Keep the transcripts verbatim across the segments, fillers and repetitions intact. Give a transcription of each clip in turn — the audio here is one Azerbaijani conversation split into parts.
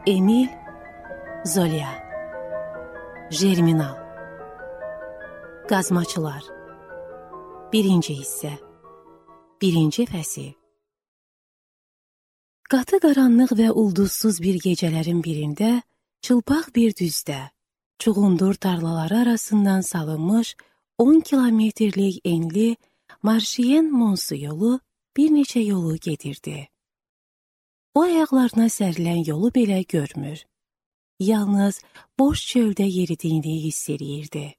Emil Zola. Germinal. Qazmaçılar. Birinci hissə. Birinci fəsil. Qatı qaranlıq və ulduzsuz bir gecələrin birində, çılpaq bir düzdə, çuğundur tarlaları arasından salınmış on kilometrlik enli Marşiyen Monsu yolu bir neçə yolu gedirdi. O ayaqlarına sərilən yolu belə görmür. Yalnız boş çöldə yeridiyini hiss edirdi.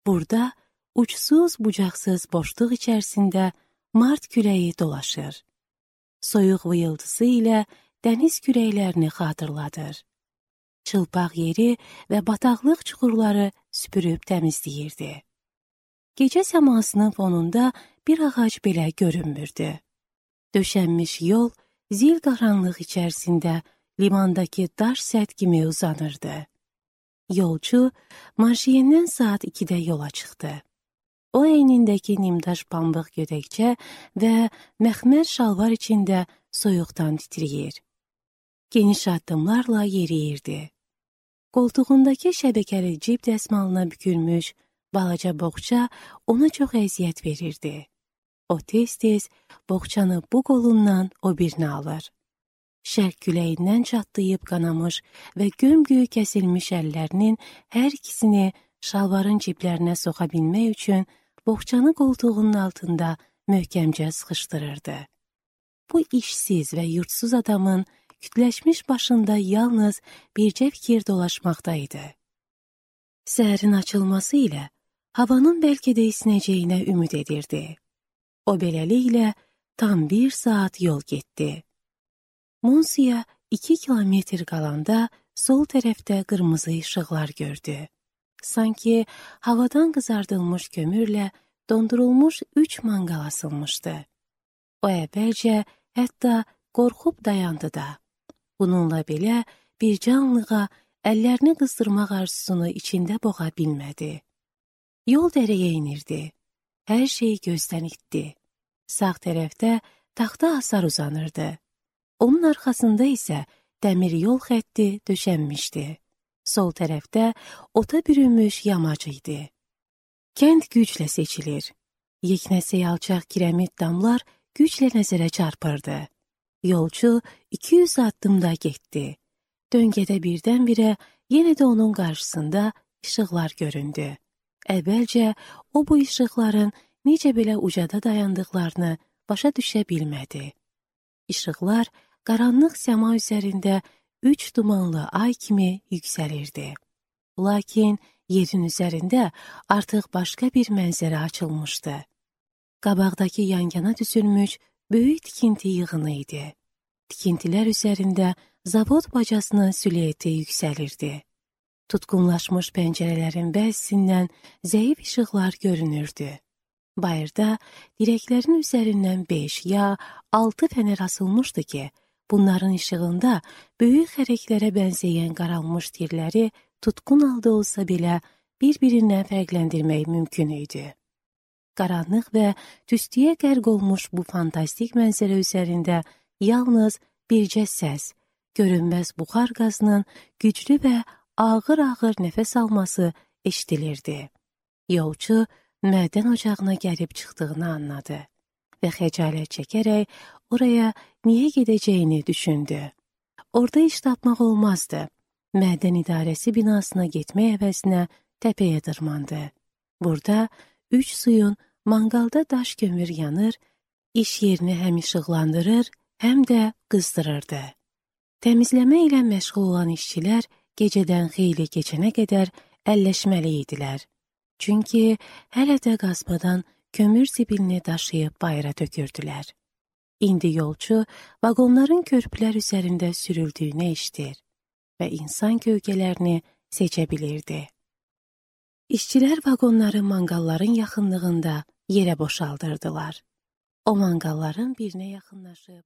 Burada uçsuz bucaqsız boşluq içərisində mart küləyi dolaşır. Soyuq vıyıltısı ilə dəniz kürəklərini xatırladır. Çılpaq yeri və bataqlıq çuxurları süpürüb təmizləyirdi. Gecə səmasının fonunda bir ağac belə görünmürdü. Döşənmiş yol zil qaranlıq içərisində limandakı daş sədd kimi uzanırdı. Yolcu Marşiyendən saat ikidə yola çıxdı. O əynindəki nimdaş pambıq gödəkçə və məxmər şalvar içində soyuqdan titrəyir. Geniş addımlarla yeriyirdi. Qoltuğundakı şəbəkəli cib dəsmalına bükülmüş balaca boğça ona çox əziyyət verirdi. O tez-tez boğçanı bu qolundan o birini alır. Şərq küləyindən çatlayıb qanamış və göm-göy kəsilmiş əllərinin hər ikisini şalvarın ciblərinə soxa bilmək üçün boğçanı qoltuğunun altında möhkəmcə sıxışdırırdı. Bu işsiz və yurtsuz adamın kütləşmiş başında yalnız bircə fikir dolaşmaqdaydı. Səhərin açılması ilə havanın bəlkə də isinəcəyinə ümid edirdi. O beləliklə tam bir saat yol getdi. Monsuya iki kilometr qalanda sol tərəfdə qırmızı işıqlar gördü. Sanki havadan qızardılmış kömürlə dondurulmuş üç manqal asılmışdı. O əvvəlcə hətta qorxub dayandı da. Bununla belə bir canlığa əllərini qızdırmaq arzusunu içində boğa bilmədi. Yol dərəyə inirdi. Hər şey gözdən itdi. Sağ tərəfdə taxta hasar uzanırdı. Onun arxasında isə dəmir yol xətti döşənmişdi. Sol tərəfdə ota bürünmüş yamac idi. Kənd güclə seçilir. Yeknəsək alçaq kiremit damlar güclə nəzərə çarpırdı. Yolcu iki yüz addımda getdi. Döngədə birdən-birə yenə də onun qarşısında işıqlar göründü. Əvvəlcə o bu işıqların necə belə ucada dayandıqlarını başa düşə bilmədi. İşıqlar qaranlıq səma üzərində üç dumanlı ay kimi yüksəlirdi. Lakin yerin üzərində artıq başqa bir mənzərə açılmışdı. Qabaqdakı yan-yana düzülmüş böyük tikinti yığını idi. Tikintilər üzərində zavod bacasının süleyeti yüksəlirdi. Tutqunlaşmış pəncərələrin bəzisindən zəif işıqlar görünürdü. Bayırda dirəklərin üzərindən beş ya altı fənər asılmışdı ki, bunların işığında böyük xərəklərə bənzəyən qaralmış tirləri tutqun halda olsa belə bir-birindən fərqləndirmək mümkün idi. Qaranlıq və tüstüyə qərq olmuş bu fantastik mənzərə üzərində yalnız bircə səs, görünməz buxar qazının güclü və ağır-ağır nəfəs alması eşidilirdi. Yolcu mədən ocağına gəlib çıxdığını anladı və xəcalət çəkərək oraya niyə gedəcəyini düşündü. Orada iş tapmaq olmazdı. Mədən idarəsi binasına getmək əvəzinə təpəyə dırmandı. Burada üç suyun manqalda daş kömür yanır, iş yerini həm işıqlandırır, həm də qızdırırdı. Təmizləmə ilə məşğul olan işçilər gecədən xeyli keçənə qədər əlləşməli idilər. Çünki hələ də qazmadan kömür zibilini daşıyıb bayıra tökürdülər. İndi yolcu vaqonların körpülər üzərində sürüldüyünü eşidir və insan gövgələrini seçə bilirdi. İşçilər vaqonları manqalların yaxınlığında yerə boşaldırdılar. O manqalların birinə yaxınlaşıb